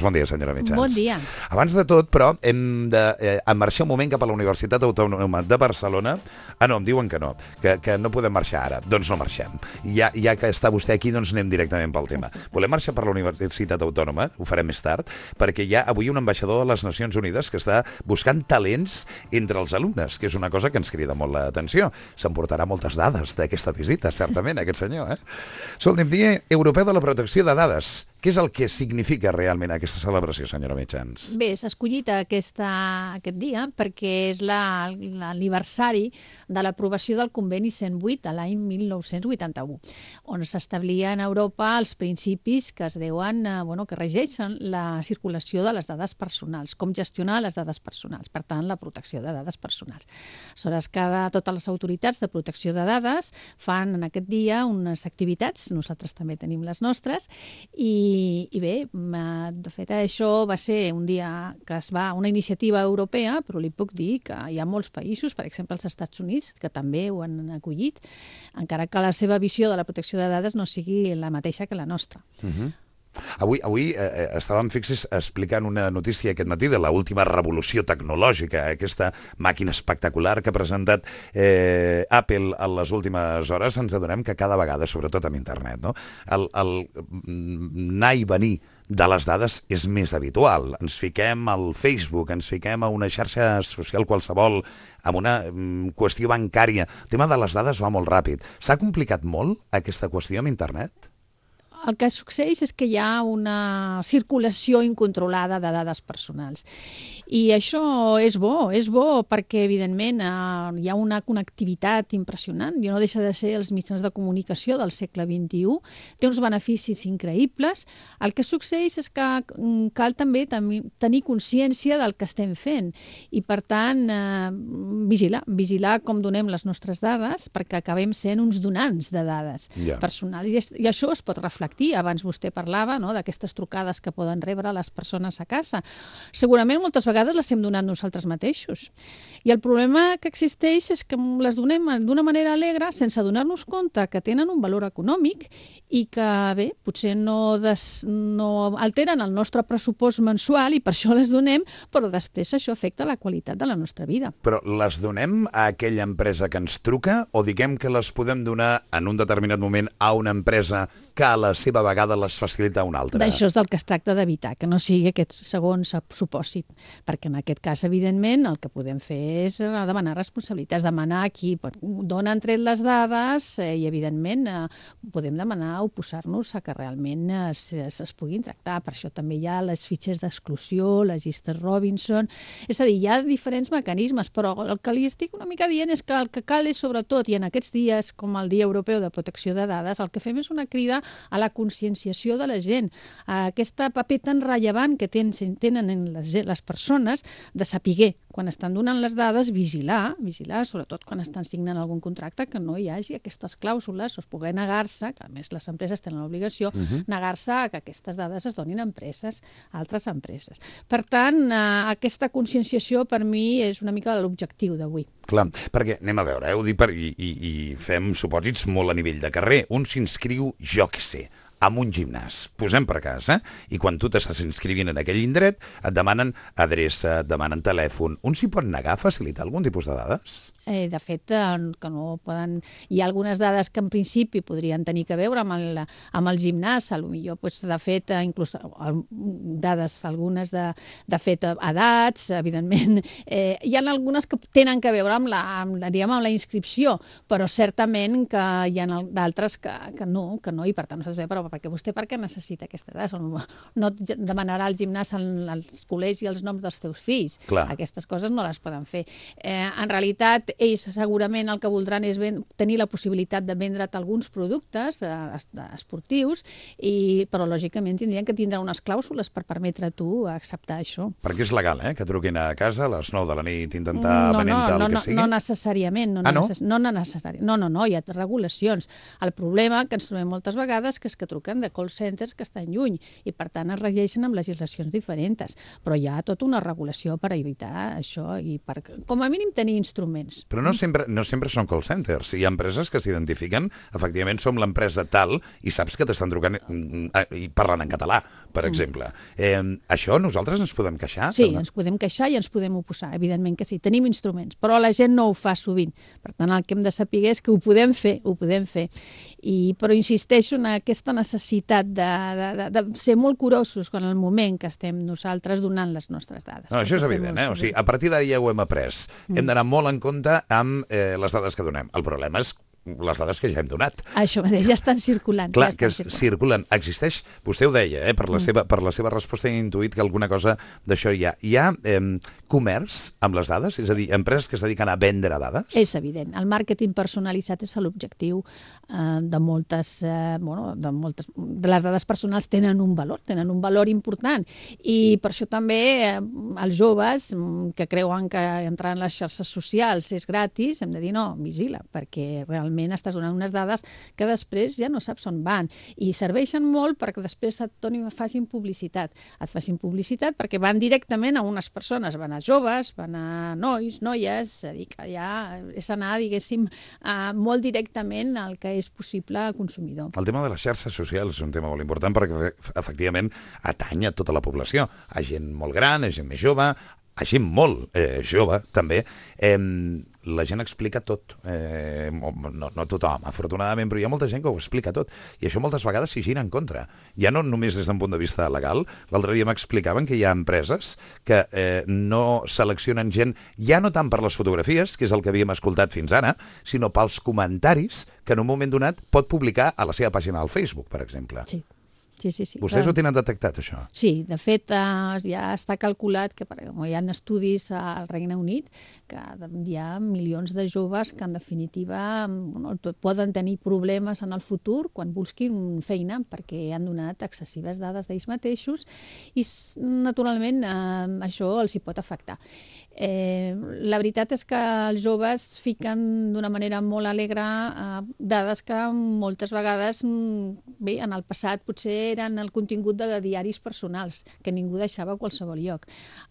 Bon dia, senyora Mitjans. Bon dia. Abans de tot, però, hem de marxar un moment cap a la Universitat Autònoma de Barcelona. Ah, no, em diuen que no, que no podem marxar ara. Doncs no marxem. Ja que està vostè aquí, doncs anem directament pel tema. Volem marxar per la Universitat Autònoma, ho farem més tard, perquè hi ha avui un ambaixador de les Nacions Unides que està buscant talents entre els alumnes, que és una cosa que ens crida molt l'atenció. S'emportarà moltes dades d'aquesta visita, certament, aquest senyor, eh? Escolti'm, Dia Europeu de la Protecció de Dades. Què és el que significa realment aquesta celebració, senyora Mitjans? Bé, s'ha escollit aquest dia perquè és l'aniversari de l'aprovació del Conveni 108 de l'any 1981, on s'establien a Europa els principis que es deuen, que regeixen la circulació de les dades personals, com gestionar les dades personals, per tant, la protecció de dades personals. Aleshores, totes les autoritats de protecció de dades fan en aquest dia unes activitats, nosaltres també tenim les nostres, i bé, de fet, això va ser un dia que una iniciativa europea, però li puc dir que hi ha molts països, per exemple els Estats Units, que també ho han acollit, encara que la seva visió de la protecció de dades no sigui la mateixa que la nostra. Avui estàvem fixes explicant una notícia aquest matí de l'última revolució tecnològica, aquesta màquina espectacular que ha presentat Apple a les últimes hores. Ens adonem que cada vegada, sobretot amb internet, no? el anar i venir de les dades és més habitual. Ens fiquem al Facebook, ens fiquem a una xarxa social qualsevol, amb una qüestió bancària. El tema de les dades va molt ràpid. S'ha complicat molt aquesta qüestió amb internet? El que succeeix és que hi ha una circulació incontrolada de dades personals. I això és bo perquè, evidentment, hi ha una connectivitat impressionant i no deixa de ser els mitjans de comunicació del segle XXI. Té uns beneficis increïbles. El que succeeix és que cal també tenir consciència del que estem fent i, per tant, vigilar com donem les nostres dades perquè acabem sent uns donants de dades personals. I això es pot reflectir. Abans vostè parlava d'aquestes trucades que poden rebre les persones a casa. Segurament moltes vegades les hem donat nosaltres mateixos. I el problema que existeix és que les donem d'una manera alegre sense donar-nos compte que tenen un valor econòmic i que, bé, potser no alteren el nostre pressupost mensual i per això les donem, però després això afecta la qualitat de la nostra vida. Però les donem a aquella empresa que ens truca o diguem que les podem donar en un determinat moment a una empresa que a la seva vegada les facilita una altra? D'això és del que es tracta d'evitar, que no sigui aquest segon supòsit, perquè en aquest cas, evidentment, el que podem fer és demanar responsabilitats, demanar a qui d'on han tret les dades i, evidentment, podem demanar oposar-nos a que realment es puguin tractar. Per això també hi ha les fitxes d'exclusió, les llistes Robinson. És a dir, hi ha diferents mecanismes, però el que li estic una mica dient és que el que cal és, sobretot, i en aquests dies, com el Dia Europeu de Protecció de Dades, el que fem és una crida a la conscienciació de la gent, a aquest paper tan rellevant que tenen les persones de saber quan estan donant les dades, vigilar, sobretot quan estan signant algun contracte, que no hi hagi aquestes clàusules, o es pugui negar-se, que a més les empreses tenen l'obligació, negar-se a que aquestes dades es donin a altres empreses. Per tant, aquesta conscienciació per mi és una mica l'objectiu d'avui. Clar, perquè anem a veure, ho dic i fem supòsits molt a nivell de carrer. Un s'inscriu, jo què sé, amb un gimnàs, posem per cas, i quan tu t'estàs inscrivint en aquell indret et demanen adreça, et demanen telèfon. Un s'hi pot negar a facilitar algun tipus de dades? De fet, que no poden... Hi ha algunes dades que en principi podrien tenir a veure amb el gimnàs, potser de fet, inclús dades, algunes de fet, edats, evidentment. Hi ha algunes que tenen a veure amb la inscripció, però certament que hi ha d'altres que no, i per tant nosaltres però perquè vostè per què necessita aquestes dades? No et demanarà al gimnàs, al col·legi, els noms dels teus fills. Clar. Aquestes coses no les poden fer. En realitat, ells segurament el que voldran és tenir la possibilitat de vendre't alguns productes esportius, però lògicament tindrien que tindre unes clàusules per permetre a tu acceptar això. Perquè és legal, que truquin a casa a les 9 de la nit intentar venent el que sigui? No necessàriament. No, hi ha regulacions. El problema que ens trobem moltes vegades és que truquem truquen de call centers que estan lluny i, per tant, es regeixen amb legislacions diferents. Però hi ha tota una regulació per evitar això i per, com a mínim, tenir instruments. Però no sempre són call centers. Hi ha empreses que s'identifiquen, efectivament, som l'empresa tal i saps que t'estan trucant i parlant en català, per exemple. Això nosaltres ens podem queixar? Sí, ens podem queixar i ens podem oposar, evidentment que sí. Tenim instruments, però la gent no ho fa sovint. Per tant, el que hem de saber és que ho podem fer. Però insisteixo en aquesta necessitat de ser molt curosos en el moment que estem nosaltres donant les nostres dades. No, això és evident, O sigui, a partir d'ara ja ho hem après. Hem d'anar molt en compte amb les dades que donem. El problema és les dades que ja hem donat. Això mateix, ja estan circulant. Clar, que circulen. Existeix, vostè ho deia, per la seva resposta he intuït que alguna cosa d'això hi ha. Hi ha comerç amb les dades? És a dir, empreses que es dediquen a vendre dades? És evident. El màrqueting personalitzat és l'objectiu de moltes... De les dades personals tenen un valor important. I per això també els joves que creuen que entrar en les xarxes socials és gratis, hem de dir no, vigila, perquè realment estàs donant unes dades que després ja no saps on van. I serveixen molt perquè després facin publicitat. Et facin publicitat perquè van directament a unes persones, van a joves, van a nois, noies, és a dir, que ja és anar, diguéssim, molt directament al que és possible al consumidor. El tema de les xarxes socials és un tema molt important perquè, efectivament, atany a tota la població. A gent molt gran, a gent més jove, a gent molt jove, també. La gent explica tot. No tothom, afortunadament, però hi ha molta gent que ho explica tot. I això moltes vegades s'hi gira en contra. Ja no només des d'un punt de vista legal. L'altre dia m'explicaven que hi ha empreses que no seleccionen gent, ja no tant per les fotografies, que és el que havíem escoltat fins ara, sinó pels comentaris que en un moment donat pot publicar a la seva pàgina al Facebook, per exemple. Sí. Vostès ho tenen detectat, això? Sí, de fet, ja està calculat que hi ha estudis al Regne Unit que hi ha milions de joves que, en definitiva, poden tenir problemes en el futur quan busquin feina perquè han donat excessives dades d'ells mateixos i, naturalment, això els hi pot afectar. La veritat és que els joves fiquen d'una manera molt alegre dades que moltes vegades, bé, en el passat potser eren el contingut de diaris personals, que ningú deixava a qualsevol lloc.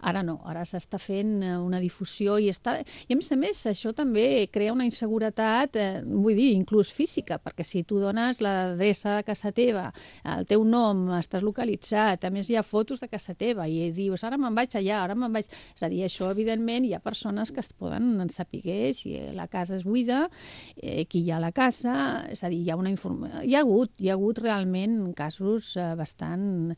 Ara no, ara s'està fent una difusió i a més, això també crea una inseguretat, vull dir, inclús física, perquè si tu dones l'adreça de casa teva, el teu nom, estàs localitzat, a més hi ha fotos de casa teva i dius, ara me'n vaig allà, ara me'n vaig... És a dir, això, evidentment, hi ha persones que es poden saber si la casa és buida, qui hi ha a la casa, és a dir, hi ha hagut realment casos bastant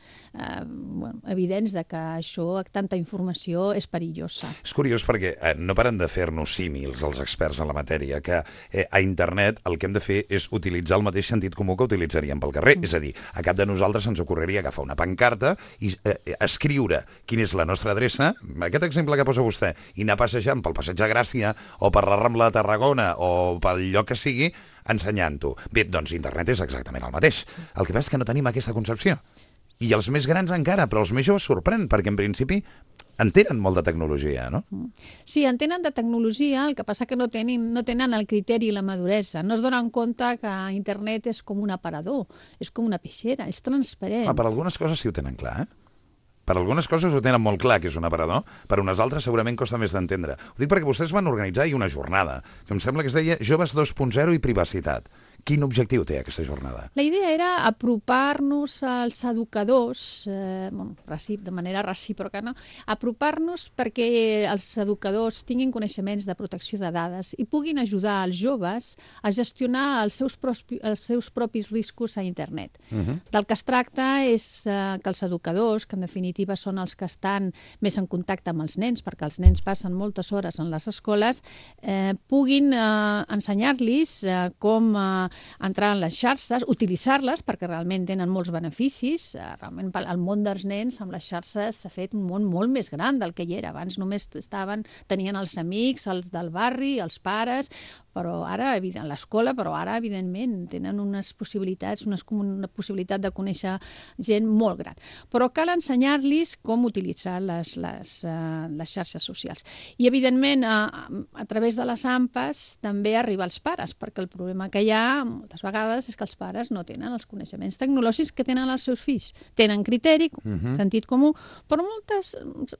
evidents de que això, tanta informació, és perillosa. És curiós perquè no paren de fer-nos símils els experts en la matèria, que a internet el que hem de fer és utilitzar el mateix sentit comú que utilitzaríem pel carrer. És a dir, a cap de nosaltres ens ocorreria agafar una pancarta i escriure quina és la nostra adreça, aquest exemple que posa vostè, i anar passejant pel Passeig de Gràcia o per la Rambla de Tarragona o pel lloc que sigui, ensenyant-ho. Bé, doncs internet és exactament el mateix. El que passa és que no tenim aquesta concepció. I els més grans encara, però els més joves sorprèn, perquè en principi entenen molt de tecnologia, no? Sí, entenen de tecnologia, el que passa que no tenen el criteri i la maduresa. No es donen compte que internet és com un aparador, és com una peixera, és transparent. Per algunes coses sí ho tenen clar, Per algunes coses ho tenen molt clar, que és un aparador, per unes altres segurament costa més d'entendre. Ho dic perquè vostès van organitzar ahir una jornada, que em sembla que es deia Joves 2.0 i Privacitat. Quin objectiu té aquesta jornada? La idea era apropar-nos als educadors, de manera recíproca, no? Apropar-nos perquè els educadors tinguin coneixements de protecció de dades i puguin ajudar els joves a gestionar els seus propis riscos a internet. Del que es tracta és que els educadors, que en definitiva són els que estan més en contacte amb els nens, perquè els nens passen moltes hores en les escoles, puguin ensenyar-los com entrar en les xarxes, utilitzar-les, perquè realment tenen molts beneficis. Realment el món dels nens amb les xarxes s'ha fet un món molt més gran del que hi era. Abans només tenien els amics, els del barri, els pares, però ara, l'escola, però ara, evidentment, tenen unes possibilitats, una possibilitat de conèixer gent molt gran. Però cal ensenyar-los com utilitzar les xarxes socials. I, evidentment, a través de les AMPAs també arriba als pares, perquè el problema que hi ha moltes vegades és que els pares no tenen els coneixements tecnològics que tenen els seus fills. Tenen criteri, sentit comú, però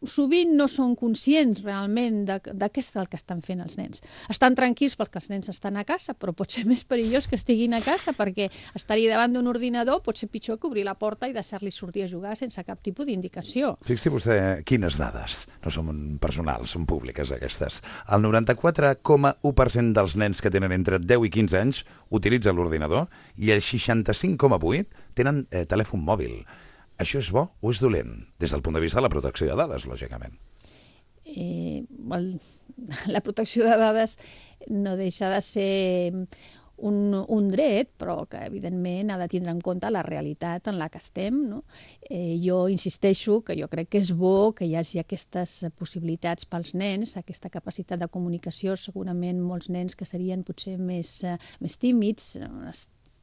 sovint no són conscients realment de què és el que estan fent els nens. Estan tranquils perquè els nens estan a casa, però pot ser més perillós que estiguin a casa perquè estar-hi davant d'un ordinador pot ser pitjor que obrir la porta i deixar-li sortir a jugar sense cap tipus d'indicació. Fixi vostè quines dades. No són personals, són públiques aquestes. El 94,1% dels nens que tenen entre 10 i 15 anys utilitzen l'ordinador i el 65,8% tenen telèfon mòbil. Això és bo o és dolent? Des del punt de vista de la protecció de dades, lògicament. La protecció de dades no deixa de ser un dret, però que evidentment ha de tindre en compte la realitat en la que estem, no? Jo insisteixo que jo crec que és bo que hi hagi aquestes possibilitats pels nens, aquesta capacitat de comunicació. Segurament molts nens que serien potser més tímids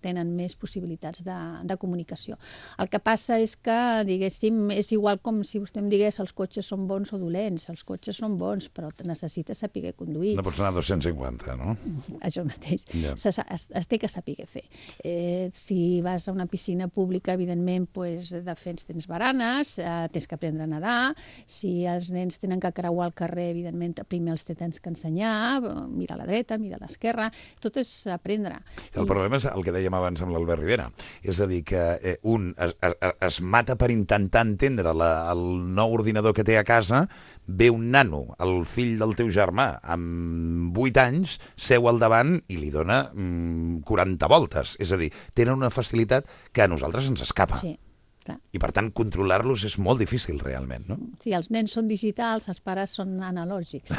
tenen més possibilitats de comunicació. El que passa és que, diguéssim, és igual com si vostè em digués els cotxes són bons o dolents. Els cotxes són bons, però necessites saber conduir. No pots anar a 250, no? Això mateix. Es té que saber fer. Si vas a una piscina pública, evidentment, tens baranes, tens que aprendre a nedar. Si els nens tenen que creuar el carrer, evidentment, primer els tens que ensenyar, mirar a la dreta, mirar a l'esquerra. Tot és aprendre. El problema és el que dèiem abans amb l'Albert Rivera. És a dir, que un es mata per intentar entendre el nou ordinador que té a casa, ve un nano, el fill del teu germà, amb 8 anys, seu al davant i li dona 40 voltes. És a dir, tenen una facilitat que a nosaltres ens escapa. Sí. I, per tant, controlar-los és molt difícil, realment, no? Sí, els nens són digitals, els pares són analògics.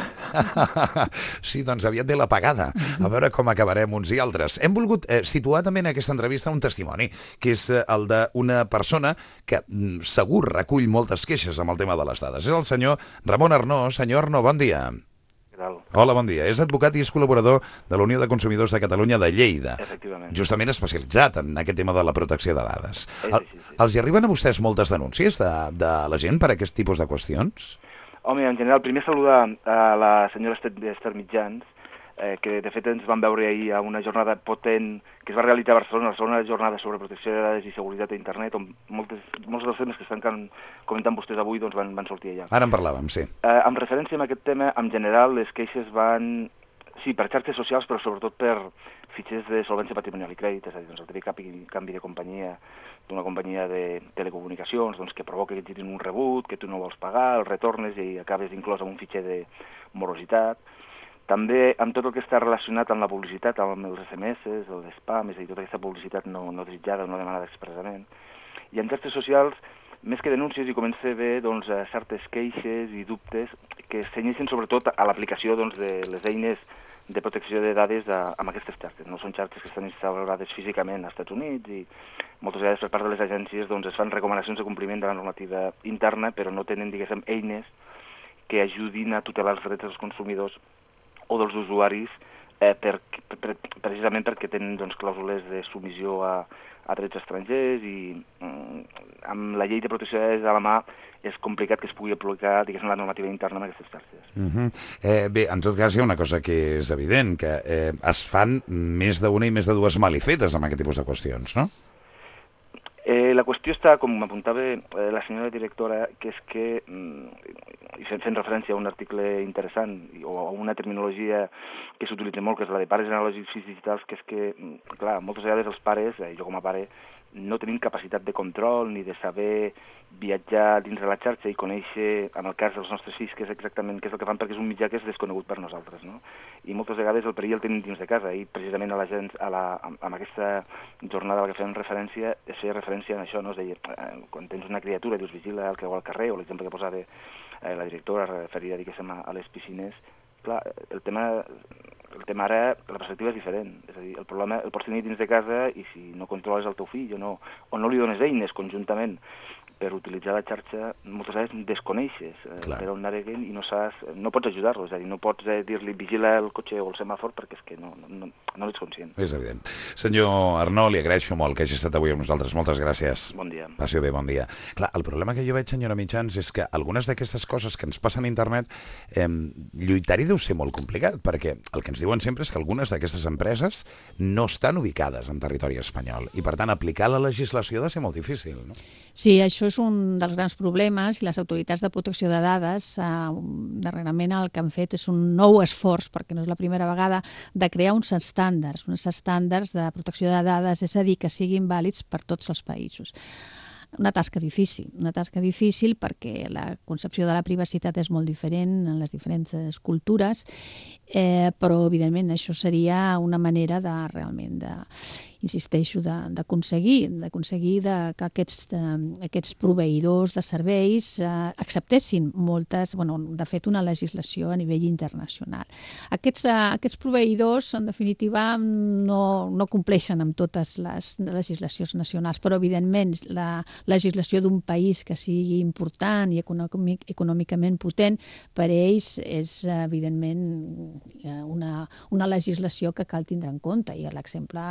Sí, doncs aviat ve l'apagada. A veure com acabarem uns i altres. Hem volgut situar també en aquesta entrevista un testimoni, que és el d'una persona que segur recull moltes queixes amb el tema de les dades. És el senyor Ramon Arnó. Senyor Arnó, bon dia. Hola, bon dia. És advocat i és col·laborador de la Unió de Consumidors de Catalunya de Lleida. Efectivament. Justament especialitzat en aquest tema de la protecció de dades. Sí. Els hi arriben a vostès moltes denúncies de la gent per aquest tipus de qüestions? Home, en general, primer saludar a la senyora Esther Mitjans, que de fet ens vam veure ahir a una jornada potent que es va realitzar a Barcelona, la segona jornada sobre protecció de dades i seguretat a internet, on molts dels temes que estan comentant vostès avui doncs van sortir allà. Ara en parlàvem, sí. En referència a aquest tema, en general, les queixes van, sí, per xarxes socials, però sobretot per fitxers de solvència patrimonial i crèdit, és a dir, doncs el típic canvi de companyia d'una companyia de telecomunicacions, doncs que provoca que et girin un rebut, que tu no vols pagar, el retornes i acabes inclòs en un fitxer de morositat. També amb tot el que està relacionat amb la publicitat, amb els SMS, l'espam, és a dir, tota aquesta publicitat no desitjada o no demanada expressament. I en xarxes socials, més que denúncies, hi comença a haver doncs, certes queixes i dubtes que s'iniciïn sobretot a l'aplicació doncs, de les eines de protecció de dades amb aquestes xarxes. No són xarxes que estan instal·lades físicament als Estats Units i moltes vegades per part de les agències doncs, es fan recomanacions de compliment de la normativa interna, però no tenen, diguéssim, eines que ajudin a tutelar els drets dels consumidors o dels usuaris precisament perquè tenen doncs, clàusules de submissió a drets estrangers i amb la llei de protecció de dades a la mà és complicat que es pugui aplicar, diguéssim, la normativa interna en aquestes xarxes. Bé, en tot cas hi ha una cosa que és evident, que es fan més d'una i més de dues malifetes amb aquest tipus de qüestions, no? La qüestió està, com m'apuntava la senyora directora, que és que, i fent referència a un article interessant o a una terminologia que s'utilitza molt, que és la de pares analògics i digitals, que és que, clar, moltes vegades els pares, jo com a pare, no tenim capacitat de control ni de saber viatjar dins de la xarxa i conèixer, en el cas dels nostres fills, què és exactament què és el que fan, perquè és un mitjà que és desconegut per nosaltres, no? I moltes vegades el perill el tenim dins de casa, i precisament amb aquesta jornada a la que fem referència, es feia referència a això, no? Es deia, quan tens una criatura, dius, vigila el que va al carrer, o l'exemple que posava la directora referida, diguéssim, a les piscines, clar, el tema ara, la perspectiva és diferent. És a dir, el problema el pots tenir dins de casa i si no controles el teu fill o no li dones eines conjuntament per utilitzar la xarxa moltes vegades desconeixes Clar. per on naveguen i no pots ajudar-los, és a dir, no pots dir-li vigila el cotxe o el semàfor perquè és que no ets conscient. És evident. Senyor Arnó, li agraeixo molt que hagi estat avui amb nosaltres. Moltes gràcies. Bon dia. Passi bé, bon dia. Clar, el problema que jo veig, senyora Mitjans, és que algunes d'aquestes coses que ens passen a internet, lluitar-hi deu ser molt complicat, perquè el que ens diuen sempre és que algunes d'aquestes empreses no estan ubicades en territori espanyol i, per tant, aplicar la legislació ha de ser molt difícil, no? Sí, això és un dels grans problemes i les autoritats de protecció de dades darrerament el que han fet és un nou esforç, perquè no és la primera vegada, de crear uns estàndards de protecció de dades, és a dir, que siguin vàlids per tots els països. Una tasca difícil perquè la concepció de la privacitat és molt diferent en les diferents cultures, però evidentment això seria una manera de realment insisteixo, d'aconseguir que aquests proveïdors de serveis acceptessin de fet, una legislació a nivell internacional. Aquests proveïdors, en definitiva, no compleixen amb totes les legislacions nacionals, però, evidentment, la legislació d'un país que sigui important i econòmicament potent, per ells és, evidentment, una legislació que cal tindre en compte, i l'exemple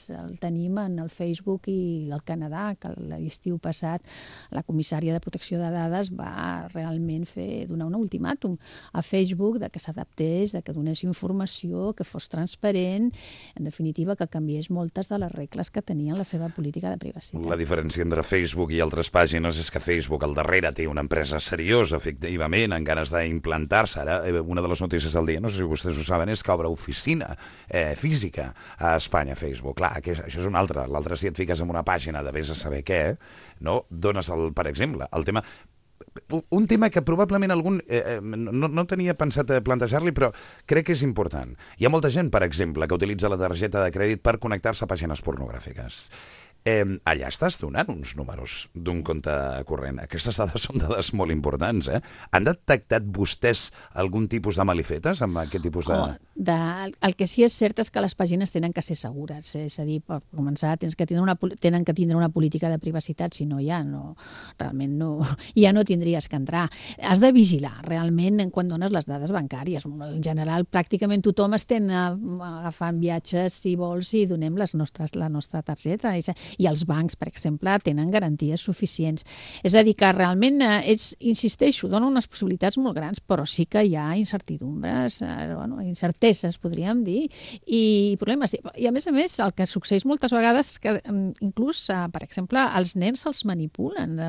el tenim en el Facebook i el Canadà, que l'estiu passat la comissària de protecció de dades va realment donar un ultimàtum a Facebook que s'adaptés, que donés informació, que fos transparent, en definitiva que canviés moltes de les regles que tenien la seva política de privacitat. La diferència entre Facebook i altres pàgines és que Facebook al darrere té una empresa seriosa, efectivament, amb ganes d'implantar-se. Ara, una de les notícies del dia, no sé si vostès ho saben, és que obre oficina física a Espanya, Facebook. Clar, això és un altre. L'altre, si et fiques en una pàgina de vés a saber què, no dones, per exemple, el tema... Un tema que probablement algun no tenia pensat plantejar-li, però crec que és important. Hi ha molta gent, per exemple, que utilitza la targeta de crèdit per connectar-se a pàgines pornogràfiques. Allà estàs donant uns números d'un compte corrent. Aquestes dades són dades molt importants, eh? Han detectat vostès algun tipus de malifetes amb aquest tipus de... El que sí és cert és que les pàgines tenen que ser segures, és a dir, per començar, tenen que tindre una política de privacitat, si no ja no tindries que entrar. Has de vigilar, realment, quan dones les dades bancàries. En general, pràcticament tothom estem agafant viatges, si vols, i donem la nostra targeta. I els bancs, per exemple, tenen garanties suficients. És a dir, que realment, insisteixo, dona unes possibilitats molt grans, però sí que hi ha incertidumbres, incerteses, podríem dir, i problemes. I, a més, el que succeeix moltes vegades és que, inclús, per exemple, els nens se'ls manipulen.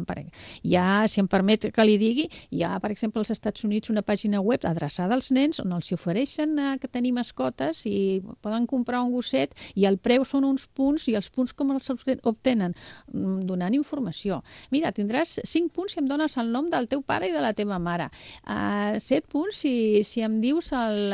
Si em permet que li digui, hi ha, per exemple, als Estats Units una pàgina web adreçada als nens on els ofereixen que tenir mascotes i poden comprar un gosset i el preu són uns punts, i els punts com els obtenen donant informació. Mira, tindràs 5 punts si em dones el nom del teu pare i de la teva mare. 7 punts si em dius el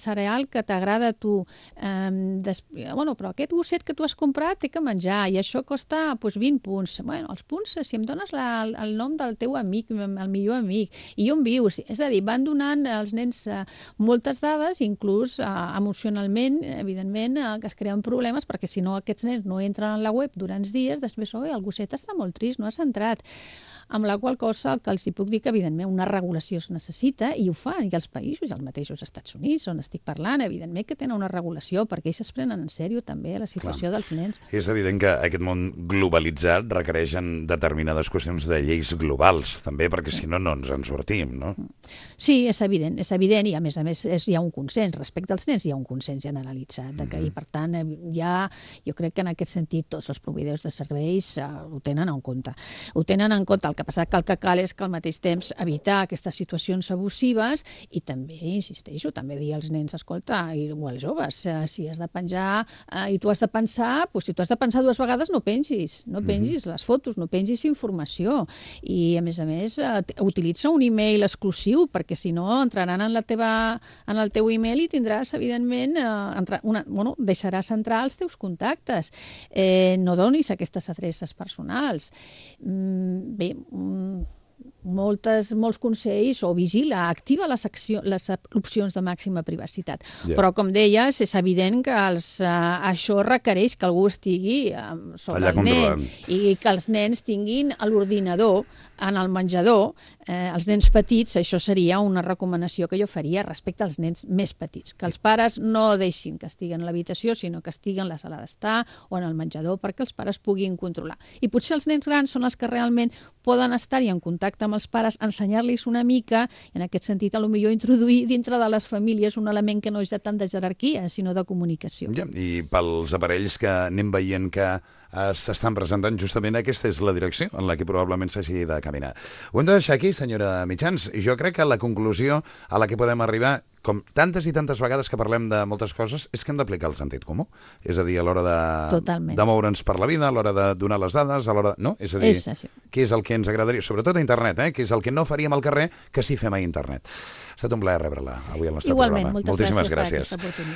cereal que t'agrada a tu. Però aquest gosset que tu has comprat té que menjar i això costa 20 punts. Els punts, si em dones el nom del teu amic, el millor amic, i on vius. És a dir, van donant als nens moltes dades, inclús emocionalment, evidentment, que es creen problemes, perquè si no aquests nens no entren a la web durant dies, després, el gosset està molt trist, no has entrat. Amb la qual cosa, el que els puc dir que, evidentment, una regulació es necessita, i ho fan, i els països, els mateixos Estats Units, on estic parlant, evidentment que tenen una regulació, perquè ells es prenen en sèrio també la situació dels nens. És evident que aquest món globalitzat requereix determinades qüestions de lleis globals, també, perquè si no, no ens en sortim, no? Sí, és evident, i a més hi ha un consens, respecte als nens hi ha un consens generalitzat, i per tant, jo crec que en aquest sentit tots els proveïdors de serveis ho tenen en compte. Ho tenen en compte. El que passa que el que cal és que al mateix temps evitar aquestes situacions abusives i també, insisteixo, també dir als nens, escolta, o als joves, si has de penjar i tu has de pensar, si tu has de pensar 2 vegades no pengis les fotos, no pengis informació. I, a més, utilitza un e-mail exclusiu, perquè si no entraran en el teu e-mail i tindràs, evidentment, deixaràs entrar els teus contactes. No donis aquestes adreces personals. Bé, molts consells o vigila, activa les opcions de màxima privacitat. Però, com deies, és evident que això requereix que algú estigui sobre el nen i que els nens tinguin l'ordinador en el menjador. Els nens petits, això seria una recomanació que jo faria respecte als nens més petits, que els pares no deixin que estiguen a l'habitació, sinó que estiguen a la sala d'estar o en el menjador perquè els pares puguin controlar. I potser els nens grans són els que realment poden estar-hi en contacte amb els pares, ensenyar-los una mica, i en aquest sentit, potser introduir dintre de les famílies un element que no és de tant de jerarquia, sinó de comunicació. I pels aparells que anem veient que s'estan presentant, justament aquesta és la direcció en la que probablement s'hagi de caminar. Ho hem de deixar aquí, senyora Mitjans. Jo crec que la conclusió a la que podem arribar, com tantes i tantes vegades que parlem de moltes coses, és que hem d'aplicar el sentit comú. És a dir, a l'hora de moure'ns per la vida, a l'hora de donar les dades, a l'hora de... No? És a dir, què és el que ens agradaria, sobretot a internet, què és el que no faríem al carrer, que sí fem a internet. Ha estat un plaer rebre-la avui al nostre programa. Igualment, moltes gràcies per aquesta oportunitat.